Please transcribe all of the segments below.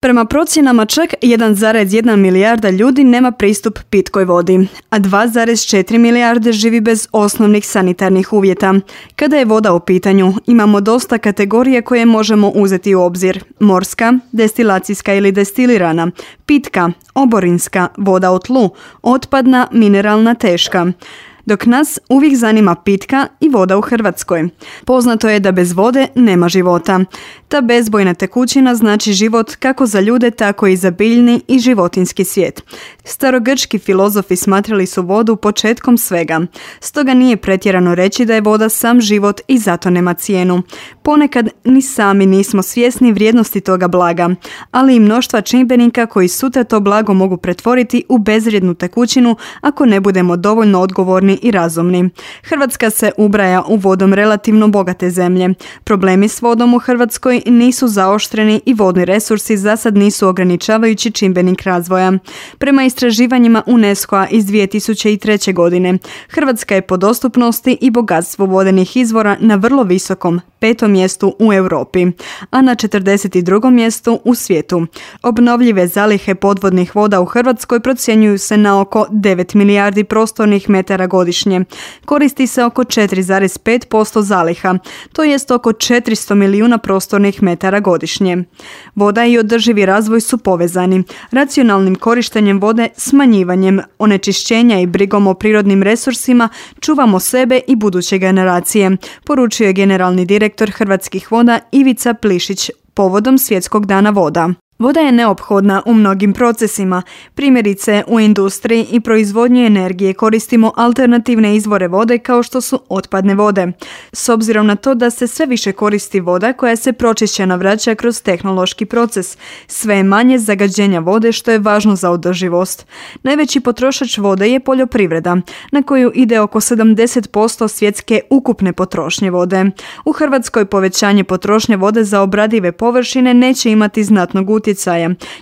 Prema procjenama čak 1,1 milijarda ljudi nema pristup pitkoj vodi, a 2,4 milijarde živi bez osnovnih sanitarnih uvjeta. Kada je voda u pitanju, imamo dosta kategorija koje možemo uzeti u obzir. Morska, destilacijska ili destilirana, pitka, oborinska, voda u tlu, otpadna, mineralna, teška. Dok nas uvijek zanima pitka i voda u Hrvatskoj. Poznato je da bez vode nema života. Ta bezbojna tekućina znači život kako za ljude, tako i za biljni i životinjski svijet. Starogrčki filozofi smatrali su vodu početkom svega. Stoga nije pretjerano reći da je voda sam život i zato nema cijenu. Ponekad ni sami nismo svjesni vrijednosti toga blaga, ali i mnoštva čimbenika koji sutra to blago mogu pretvoriti u bezvrijednu tekućinu ako ne budemo dovoljno odgovorni i razumni. Hrvatska se ubraja u vodom relativno bogate zemlje. Problemi s vodom u Hrvatskoj nisu zaoštreni i vodni resursi zasad nisu ograničavajući čimbenik razvoja. Prema istraživanjima UNESCO-a iz 2003. godine, Hrvatska je po dostupnosti i bogatstvu vodenih izvora na vrlo visokom 5. mjestu u Europi, a na 42. mjestu u svijetu. Obnovljive zalihe podvodnih voda u Hrvatskoj procjenjuju se na oko 9 milijardi prostornih metara godišnje. Koristi se oko 4,5% zaliha, to jest oko 400 milijuna prostornih metara godišnje. Voda i održivi razvoj su povezani. Racionalnim korištenjem vode, smanjivanjem onečišćenja i brigom o prirodnim resursima čuvamo sebe i buduće generacije, poručio je generalni direktor Hrvatskih voda Ivica Plišić povodom Svjetskog dana voda. Voda je neophodna u mnogim procesima. Primjerice, u industriji i proizvodnji energije koristimo alternativne izvore vode kao što su otpadne vode. S obzirom na to da se sve više koristi voda koja se pročišćena vraća kroz tehnološki proces, sve je manje zagađenja vode što je važno za održivost. Najveći potrošač vode je poljoprivreda, na koju ide oko 70% svjetske ukupne potrošnje vode. U Hrvatskoj povećanje potrošnje vode za obradive površine neće imati znatnog utjecaja,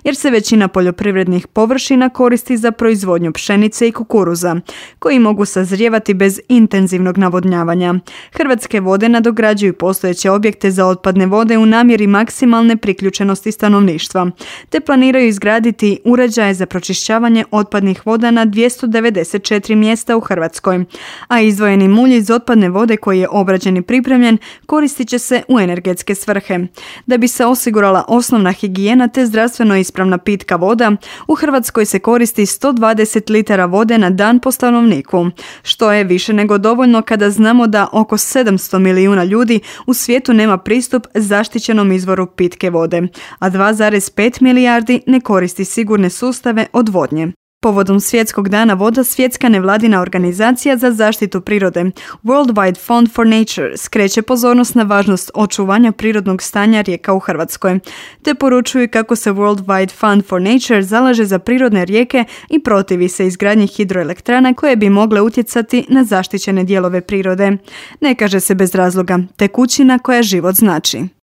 jer se većina poljoprivrednih površina koristi za proizvodnju pšenice i kukuruza, koji mogu sazrijevati bez intenzivnog navodnjavanja. Hrvatske vode nadograđuju postojeće objekte za otpadne vode u namjeri maksimalne priključenosti stanovništva, te planiraju izgraditi uređaje za pročišćavanje otpadnih voda na 294 mjesta u Hrvatskoj, a izdvojeni mulj iz otpadne vode koji je obrađen i pripremljen koristit će se u energetske svrhe. Da bi se osigurala osnovna higijena te zdravstveno ispravna pitka voda, u Hrvatskoj se koristi 120 litara vode na dan po stanovniku, što je više nego dovoljno kada znamo da oko 700 milijuna ljudi u svijetu nema pristup zaštićenom izvoru pitke vode, a 2,5 milijardi ne koristi sigurne sustave odvodnje. Povodom Svjetskog dana voda, svjetska nevladina organizacija za zaštitu prirode World Wide Fund for Nature skreće pozornost na važnost očuvanja prirodnog stanja rijeka u Hrvatskoj, te poručuju kako se World Wide Fund for Nature zalaže za prirodne rijeke i protivi se izgradnji hidroelektrana koje bi mogle utjecati na zaštićene dijelove prirode. Ne kaže se bez razloga, tekućina koja život znači.